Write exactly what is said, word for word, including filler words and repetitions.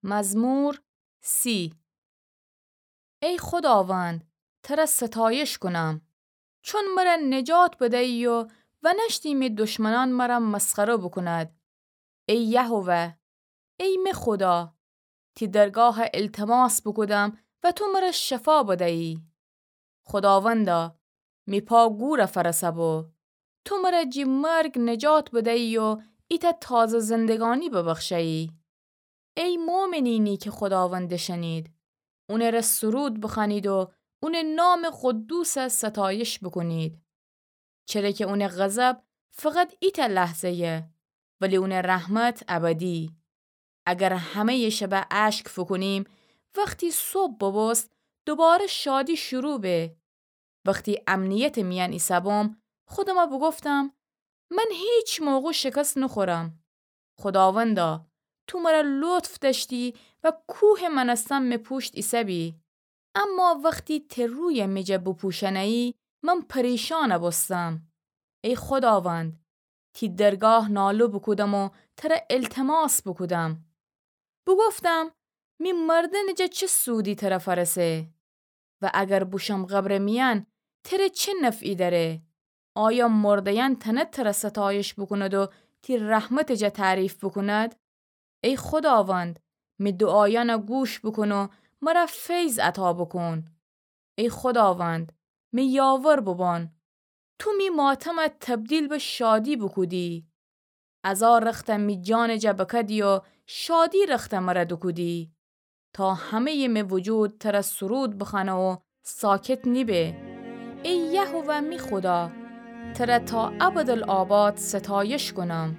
مزمور سی. ای خوداوند، تره ستایش کونم، چون مره نجات بدیی و ونشتی می دشمنان مره مسخره بوکوند. ای یهوه، ای می خودا، تی درگاه التماس بوکودم و تو مره شفا بدیی. خوداوندا، می پا گوره فرسه بو. تو مره جی مرگ نجات بدیی و ایتأ تازه زندگانی ببخشیی. ای مؤمنینی که خوداوند دشنید، اونٚره سرود بخوأنید و اونٚ نامٚ قدوس ستایش بوکونید. چره که اونٚ غضب فقط ایتأ لحظه‌یه، ولی اونٚ رحمت ابدی. اگر همه‌یٚ شبه اشک فوکونیم، وختی صبح ببوست، دوباره شادی شروع به. وختی امنیتٚ میأن ایسه‌بوم، خودمه بوگفتم، من هیچ موقع شکست نوخورم. خوداوندا، تو مره لطف دأشتی و کوهٚ مأنستن می پوشت ایسه‌بی. اما وختی تی روی می جا بوپوشنه‌یی، من پریشان بوستم. ای خوداوند، تی درگاه ناله بوکودم و تره التماس بوکودم. بوگفتم، می مردنٚ جا چه سودی تره فأرسه؟ و اگر بوشم قبرٚ میأن، تره چه نفعی دأره؟ آیا مرده‌یأن تأنه تره ستایش بوکوند و تی رحمتٚ جا تعریف بوکوند؟ ای خوداوند، می دوعایأنه گوش بوکون و مره فیض عطا بوکون. ای خوداوند، می یاور بوبان. تو می ماتمه تبدیل به شادی بوکودی. عزا رختأ می جانٚ جا بکدی و شادی رختأ مره دوکودی. تا همه‌یٚ می وجود تره سرود بخوأنه و ساکت نیبه. ای یهوه می خودا، تره تا ابدالآباد ستایش کونم.